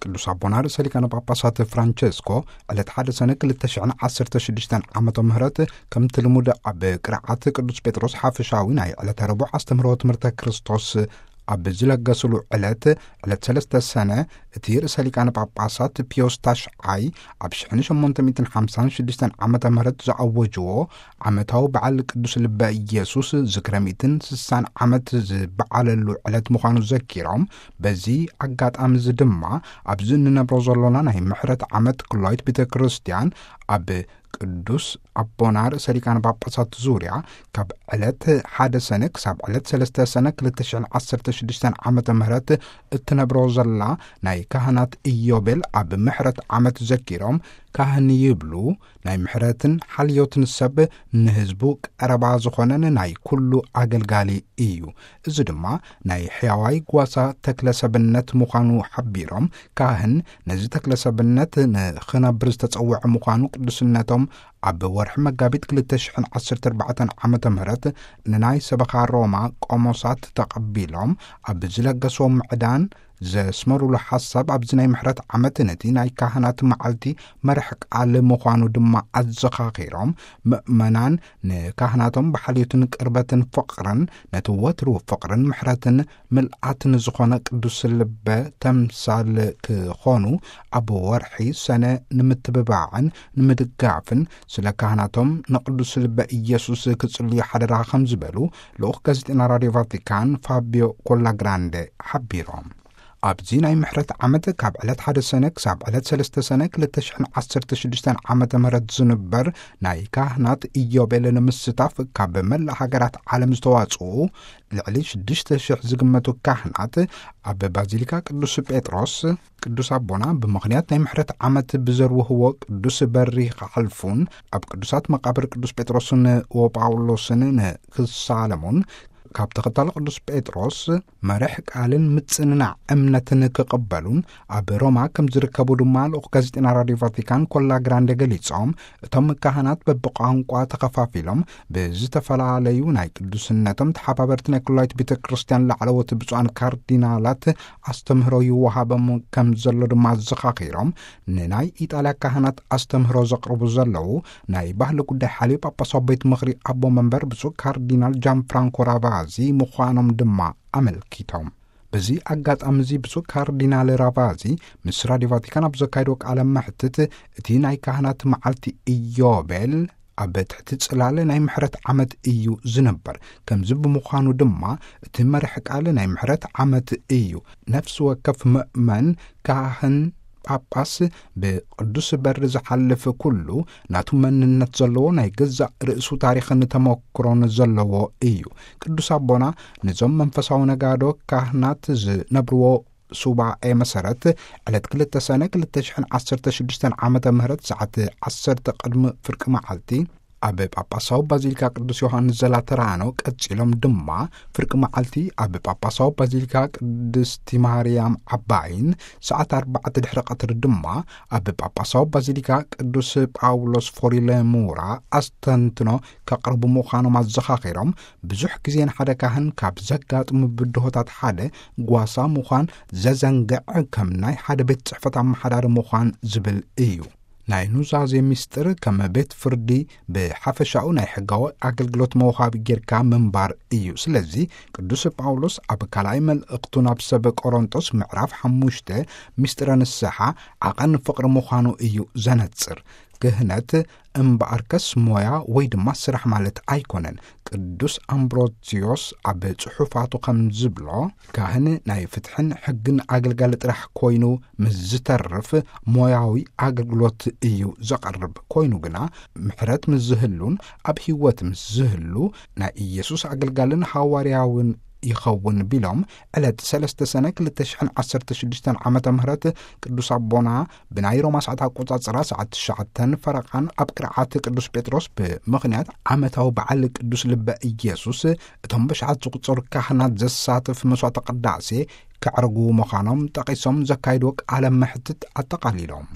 ቅዱስ ኣቦና ርእሰ ሊቃነ ጳጳሳት ፍራንቸስኮ ዕለት ሓደ ሰነ ክልተ ሽሕን ዓሰርተ ሽዱሽተን ዓመተ ምህረት ከምቲ ልሙድ ኣብ ቅርዓት ቅዱስ ጴጥሮስ ሓፈሻዊ ናይ ዕለተ ረቡዕ ኣስተምህሮ ትምህርተ ክርስቶስ ኣብ ዝለገሱሉ ዕለት፣ ዕለት ሰለስተ ሰነ፣ እቲ ርእሰ ሊቃነ ጳጳሳት ፒዮስ ታሽዓይ ኣብ ሽሕን ሸሞንተ ሚእትን ሓምሳን ሽዱሽተን ዓመተ ምህረት ዝኣወጅዎ ዓመታዊ በዓል ቅዱስ ልበ ኢየሱስ ዝክረ ሚእትን ስሳን ዓመት ዝበዓለሉ ዕለት ምዃኑ ዘኪሮም፣ በዚ ኣጋጣሚ እዚ ድማ ኣብዚ እንነብሮ ዘሎና ናይ ምሕረት ዓመት ክላዊት ቤተ ክርስቲያን ኣብ ቅዱስ ኣቦና ርእሰ ሊቃነ ጳጳሳት ዙርያ ካብ ዕለት ሓደ ሰነ ክሳብ ዕለት ሰለስተ ሰነ ክልተ ሽሕን ዓሰርተ ሽዱሽተን ዓመተ ምህረት እትነብሮ ዘላ ናይ ካህናት ኢዮቤል ኣብ ምሕረት ዓመት ዘኪሮም፣ ካህን ይብሉ ናይ ምሕረትን ሓልዮትን ሰብ ንህዝቡ ቀረባ ዝኾነን ናይ ኩሉ ኣገልጋሊ እዩ። እዚ ድማ ናይ ሕያዋይ ጓሳ ተክለ ሰብነት ምዃኑ ሓቢሮም፣ ካህን ነዚ ተክለ ሰብነት ንኽነብር ዝተጸውዐ ምዃኑ ቅዱስነቶም ኣብ ወርሒ መጋቢት ክልተ ሽሕን ዓሰርተ ኣርባዕተን ዓመተ ምህረት ንናይ ሰበኻ ሮማ ቆሞሳት ተቐቢሎም ኣብ ዝለገስዎ ምዕዳን ዘስመሩሉ ሓሳብ፣ ኣብዚ ናይ ምሕረት ዓመት ነቲ ናይ ካህናት መዓልቲ መርሕ ቃል ምዃኑ ድማ ኣዘኻኺሮም፣ ምእመናን ንካህናቶም ብሓልዮትን ቅርበትን ፍቕርን ነቲ ወትሩ ፍቕርን ምሕረትን ምልኣትን ዝኾነ ቅዱስ ልበ ተምሳል ክኾኑ ኣብ ወርሒ ሰነ ንምትብባዕን ንምድጋፍን ስለ ካህናቶም ንቅዱስ ልበ ኢየሱስ ክጽልዩ ሓደራ ከም ዝበሉ ልኡኽ ጋዜጠና ራድዮ ቫቲካን ፋቢዮ ኮላግራንደ ሓቢሮም። ኣብዚ ናይ ምሕረት ዓመት ካብ ዕለት ሓደ ሰነ ክሳብ ዕለት ሰለስተ ሰነ ክልተ ሽሕን ዓሰርተ ሽዱሽተን ዓመተ ምህረት ዝንበር ናይ ካህናት ኢዮቤል ንምስታፍ ካብ መላእ ሃገራት ዓለም ዝተዋጽኡ ልዕሊ ሽዱሽተ ሽሕ ዝግመቱ ካህናት ኣብ ባዚሊካ ቅዱስ ጴጥሮስ፣ ቅዱስ ኣቦና ብምኽንያት ናይ ምሕረት ዓመት ብዘርውህዎ ቅዱስ በሪ ክሓልፉን ኣብ ቅዱሳት መቃብር ቅዱስ ጴጥሮስን ወጳውሎስን ንክሳለሙን ካብ ተኸታሊ ቅዱስ ጴጥሮስ መርሕ ቃልን ምጽንናዕ እምነትን ክቕበሉን ኣብ ሮማ ከም ዝርከቡ ድማ ልኡኽ ጋዜጠና ራድዮ ቫቲካን ኮላ ግራንደ ገሊጾም፣ እቶም ካህናት በብቋንቋ ተኸፋፊሎም ብዝተፈላለዩ ናይ ቅዱስነቶም ተሓባበርቲ ናይ ኩላይት ቤተ ክርስቲያን ላዕለዎት ብፁዓን ካርዲናላት ኣስተምህሮ ይወሃቦም ከም ዘሎ ድማ ኣዘኻኺሮም፣ ንናይ ኢጣልያ ካህናት ኣስተምህሮ ዘቕርቡ ዘለዉ ናይ ባህሊ ጉዳይ ሓልዮ ጳጳሳዊ ቤት ምኽሪ ኣቦ መንበር ብፁዕ ካርዲናል ጃን ፍራንኮ ራቫዚ ምዃኖም ድማ ኣመልኪቶም። በዚ ኣጋጣሚ እዚ ብፁዕ ካርዲናል ራቫዚ ምስ ራድዮ ቫቲካን ኣብ ዘካየዶ ቃለ መሕትት፣ እቲ ናይ ካህናት መዓልቲ ኢዮቤል ኣብ ትሕቲ ጽላለ ናይ ምሕረት ዓመት እዩ ዝንበር። ከምዚ ብምዃኑ ድማ እቲ መርሕ ቃል ናይ ምሕረት ዓመት እዩ። ነፍሲ ወከፍ ምእመን ካህን ጳጳስ ብቅዱስ በሪ ዝሓልፍ ኩሉ ናቱ መንነት ዘለዎ ናይ ገዛእ ርእሱ ታሪኽን ተመክሮን ዘለዎ እዩ። ቅዱስ ኣቦና ነዞም መንፈሳዊ ነጋዶ ካህናት ዝነብርዎ ሱባኤ መሰረት ዕለት ክልተ ሰነ ክልተ ሽሕን ዓሰርተ ሽዱሽተን ዓመተ ምህረት ሰዓት ዓሰርተ ቅድሚ ፍርቂ መዓልቲ ኣብ ጳጳሳዊ ባዚሊካ ቅዱስ ዮሃንስ ዘላተራኖ፣ ቀጺሎም ድማ ፍርቂ መዓልቲ ኣብ ጳጳሳዊ ባዚሊካ ቅድስቲ ማርያም ዓባይን ሰዓት ኣርባዕተ ድሕሪ ቀትሪ ድማ ኣብ ጳጳሳዊ ባዚሊካ ቅዱስ ጳውሎስ ፎሪለሙራ ኣስተንትኖ ከቕርቡ ምዃኖም ኣዘኻኺሮም፣ ብዙሕ ግዜ ንሓደ ካህን ካብ ዘጋጥሙ ብድሆታት ሓደ ጓሳ ምዃን ዘዘንግዕ ከም ናይ ሓደ ቤት ጽሕፈት ኣመሓዳሪ ምዃን ዝብል እዩ። ናይ ኑዛዜ ምስጢር ከም ቤት ፍርዲ ብሓፈሻኡ ናይ ሕጋዊ ኣገልግሎት መውሃቢ ጌርካ ምንባር እዩ። ስለዚ ቅዱስ ጳውሎስ ኣብ ካልኣይ መልእኽቱ ናብ ሰብ ቆሮንጦስ ምዕራፍ ሓሙሽተ ምስጢረ ንስሓ ዓቐን ፍቕሪ ምዃኑ እዩ ዘነጽር። ክህነት እምበኣርከስ ሞያ ወይ ድማ ስራሕ ማለት ኣይኮነን። ቅዱስ ኣምብሮሲዮስ ኣብ ጽሑፋቱ ከም ዝብሎ፣ ካህን ናይ ፍትሕን ሕግን ኣገልጋሊ ጥራሕ ኮይኑ ምስ ዝተርፍ ሞያዊ ኣገልግሎት እዩ ዘቐርብ። ኮይኑ ግና ምሕረት ምስ ዝህሉን ኣብ ህይወት ምስ ዝህሉ ናይ ኢየሱስ ኣገልጋልን ሃዋርያውን ይኸውን ቢሎም፣ ዕለት ሰለስተ ሰነ ክልተ ሽሕን ዓሰርተ ሽዱሽተን ዓመተ ምህረት ቅዱስ ኣቦና ብናይ ሮማ ሰዓት ኣቆጻጽራ ሰዓት ትሽዓተን ፈረቓን ኣብ ቅርዓት ቅዱስ ጴጥሮስ ብምኽንያት ዓመታዊ በዓል ቅዱስ ልበ ኢየሱስ እቶም ብሽዓት ዝቑጸሩ ካህናት ዘሳትፍ መስዋዕተ ቅዳሴ ከዕርጉ ምዃኖም ጠቒሶም ዘካይድዎ ቃለ መሕትት ኣጠቓሊሎም።